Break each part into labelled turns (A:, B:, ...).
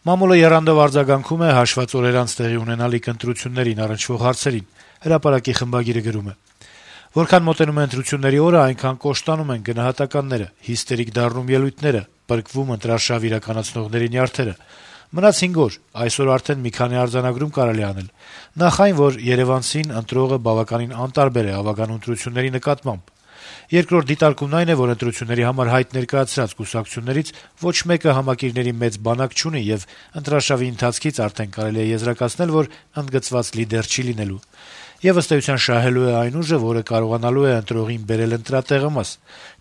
A: Մամուլը եռանդով արձագանքում է հաշված օրեր անց տեղի ունենալիք ընտրություններին առնչվող հարցերին։ Հրապարակի խմբագիրը գրում է. - «Որքան մոտենում է ընտրությունների օրը, այնքան կոշտանում են գնահատականները, հիստերիկ դառնում ելույթները, պրկվում ընտրարշավ իրականացնողների նյարդերը։ Մնաց 5 օր, այսօր արդեն մի քանի արձանագրում կարելի անել։ Նախ այն, որ երևանցին ընտրողը բավականին անտարբեր է ավագանու ընտրությունների նկատմամբ։ Երկրորդ դիտարկումն այն է, որ ընտրությունների համար հայտ ներկայացրած կուսակցություններից ոչ մեկը համակիրների մեծ բանակ չունի եւ ընտրարշավի ընթացքից արդեն կարելի է եզրակացնել, որ ընդգծված լիդեր չի լինելու։ Եվ ըստ էության շահելու է այն ուժը, որը կարողանալու է ընտրողին բերել ընտրատեղը մաս։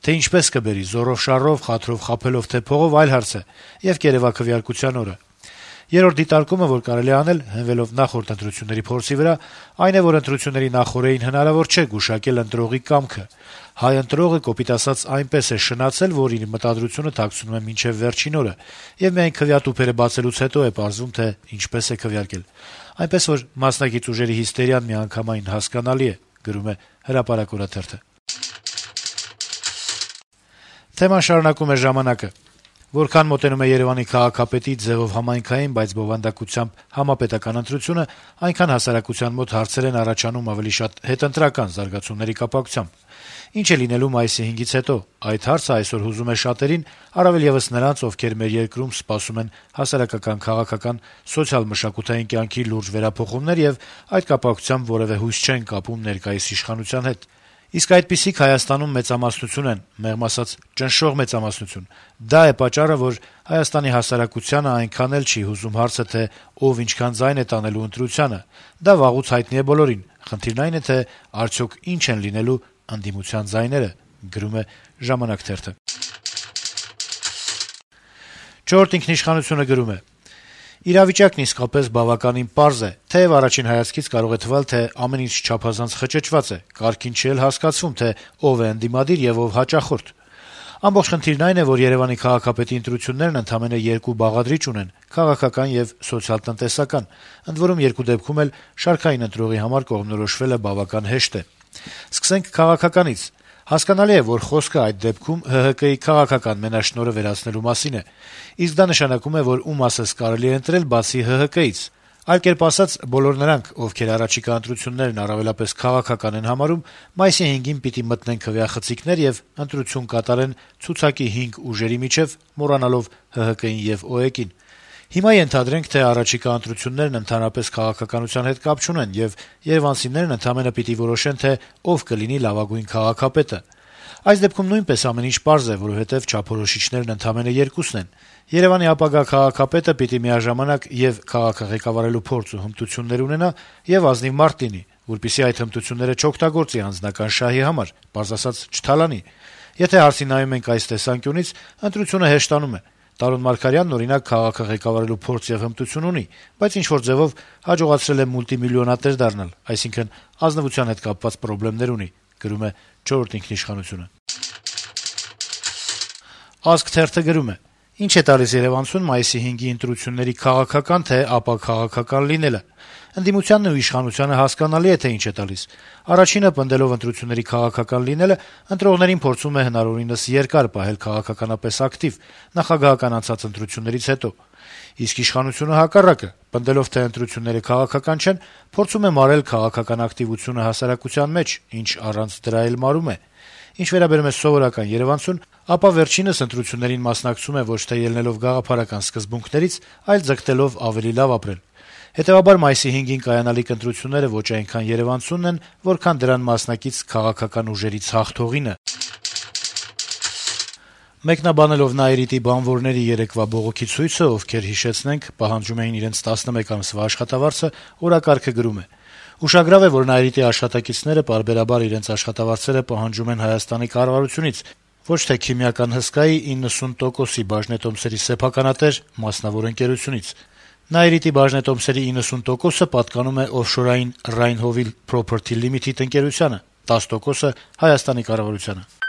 A: Թե ինչպես կբերի՝ զոռով շառով, խաթրով խաբելով, թե փողով, այլ հարց է, եւ կերեւա-քվեարկության օրը։ Երրորդ դիտարկումը, որ կարելի է անել, հենվելով նախորդ ընտրությունների փորձի վրա, այն է, որ ընտրությունների նախօրեին հնարավոր չէ գուշակել ընտրողի կամքը։ Հայ ընտրողը, կոպիտ ասած, այնպես է շնացել, որ իր մտադրությունը թաքցնում է մինչեւ վերջին օրը, եւ միայն քվեատուփերը բացելուց հետո է պարզվում, թե ինչպես է քվեարկել։ Այնպես որ մասնակից ուժերի հիստերիան միանգամայն հասկանալի է», գրում է «Հրապարակ» օրաթերթը։ Թեման շարունակում է «Ժամանակ»-ը. Որքան մոտենում է Երեւանի քաղաքապետի ձեւով համայնքային, բայց բովանդակությամբ համապետական ընտրությունը, այնքան հասարակության մոտ հարցեր են առաջանում ավելի շատ հետընտրական զարգացումների կապակցությամբ։ Ինչ է լինելու մայիսի 5-ից հետո։ Այդ հարցը այսօր հուզում է շատերին, առավել եւս նրանց, ովքեր մեր երկրում սպասում են հասարակական, քաղաքական, սոցիալ-մշակութային կյանքի լուրջ վերափոխումներ եւ այդ կապակցությամբ որեւէ հույս չեն կապում ներկայիս իշխանության հետ։ Իսկ այդպիսիք Հայաստանում մեծամասնություն են, մեղմ ասած ճնշող մեծամասնություն։ Դա է պատճառը, որ Հայաստանի հասարակությանը այնքան էլ չի հուզում հարցը, թե ով ինչքան ձայն է տանելու ընտրությանը։ Դա վաղուց հայտնի է բոլորին։ Խնդիրն այն է, թե արդյոք ինչ են լինելու ընդդիմության ձայները, գրում է «Ժամանակ» թերթը։ «Չորրորդ ինքնիշխանություն»-ը գրում է. «Իրավիճակն իսկապես բավականին պարզ է, թեև առաջին հայացքից կարող է թվալ, թե ամեն ինչ չափազանց խճճված է, կարգին չի էլ հասկացվում, թե ով է ընդդիմադիր եւ ով հաճախորդ։ Ամբողջ խնդիրն այն է, որ Երեւանի քաղաքապետի ընտրություններն ընդամենը 2 բաղադրիչ ունեն՝ քաղաքական եւ սոցիալ-տնտեսական, ընդ որում երկու դեպքում էլ շարքային ընտրողի համար կողմնորոշվելը բավական հեշտ է։ Սկսենք քաղաքականից։ Հասկանալի է, որ խոսքը այդ դեպքում ՀՀԿ-ի քաղաքական մենաշնորհը վերացնելու մասին է, իսկ դա նշանակում է, որ ում ասես կարելի է ընտրել բացի ՀՀԿ-ից։ Այլ կերպ ասած, բոլոր նրանք, ովքեր առաջիկա ընտրություններն առավելապես քաղաքական են համարում, մայիսի 5-ին պիտի մտնեն քվեախցիկներ եւ ընտրություն կատարեն ցուցակի 5 ուժերի միջեւ, մոռանալով ՀՀԿ-ին եւ ՕԵԿ-ին։ Հիմա ենթադրենք, թե առաջիկա ընտրություններն ընդհանրապես քաղաքականության հետ կապ չունեն եւ երևանցիներն ընդամենը պիտի որոշեն, թե ով կլինի լավագույն քաղաքապետը։ Այս դեպքում նույնպես ամեն ինչ պարզ է, որովհետեւ չափորոշիչներն ընդամենը 2-ն են։ Երեւանի ապագա քաղաքապետը պիտի միաժամանակ եւ քաղաքը ղեկավարելու փորձ ու հմտություններ ունենա եւ ազնիվ մարդ լինի, որպեսզի այդ հմտությունները չօգտագործի անձնական շահի համար, պարզ ասած չթալանի։ Եթե հարցին նայում ենք այս տեսանկյունից, ընտրությունը հեշտանում է։ Տարոն Մարգարյանն, օրինակ, քաղաքը ղեկավարելու փորձ եւ հմտություն ունի, բայց ինչ-որ ձեւով հաջողացրել է մուլտիմիլիոնատեր դառնալ, այսինքն ազնվության հետ կապված խնդիրներ ունի, գրում է «Չորրորդ ինքնիշխանություն»-ը։ Ազգ թերթը գրում է. Ինչ է տալիս Երեւանցուն մայիսի 5-ի ընտրությունների քաղաքական թե ապաքաղաքական լինելը։ Ընդդիմությանն ու իշխանությանը հասկանալի է, թե ինչ է տալիս։ Առաջինը, պնդելով ընտրությունների քաղաքական լինելը, ընտրողներին փորձում է հնարավորինս երկար պահել քաղաքականապես ակտիվ, նախագահական անցած ընտրություններից հետո։ Իսկ իշխանությունը հակառակը, պնդելով, թե ընտրությունները քաղաքական չեն, փորձում է մարել քաղաքական ակտիվությունը հասարակության մեջ, ինչ առանց դրա էլ մարում է։ Ինչ վերաբերում է սովորական երևանցուն, ապա վերջինս ընտրություններին մասնակցում է ոչ թե ելնելով գաղափարական սկզբունքներից, այլ ձգտելով ավելի լավ ապրել։ Հետեւաբար մայիսի 5-ին կայանալիք ընտրությունները ոչ այնքան երևանցունն են, որքան դրան մասնակից քաղաքական ուժերից հաղթողինը։ Մեկնաբանելով Նաիրիտի բանվորների երեկվա բողոքի ցույցը, ովքեր հիշեցնենք, պահանջում էին իրենց 11 ամսվա աշխատավարձը, օրակարգը գրում է. Ուշագրավ է, որ Նաիրիտի աշխատակիցները պարբերաբար իրենց աշխատավարձերը պահանջում են Հայաստանի կառավարությունից, ոչ թե քիմիական հսկայի 90%-ի բաժնետոմսերի սեփականատեր մասնավոր ընկերությունից։ Նաիրիտի բաժնետոմսերի 90%-ը պատկանում է օֆշորային Rhine-Hovil Property Limited ընկերությանը, 10%-ը Հայաստանի կառավարությանը։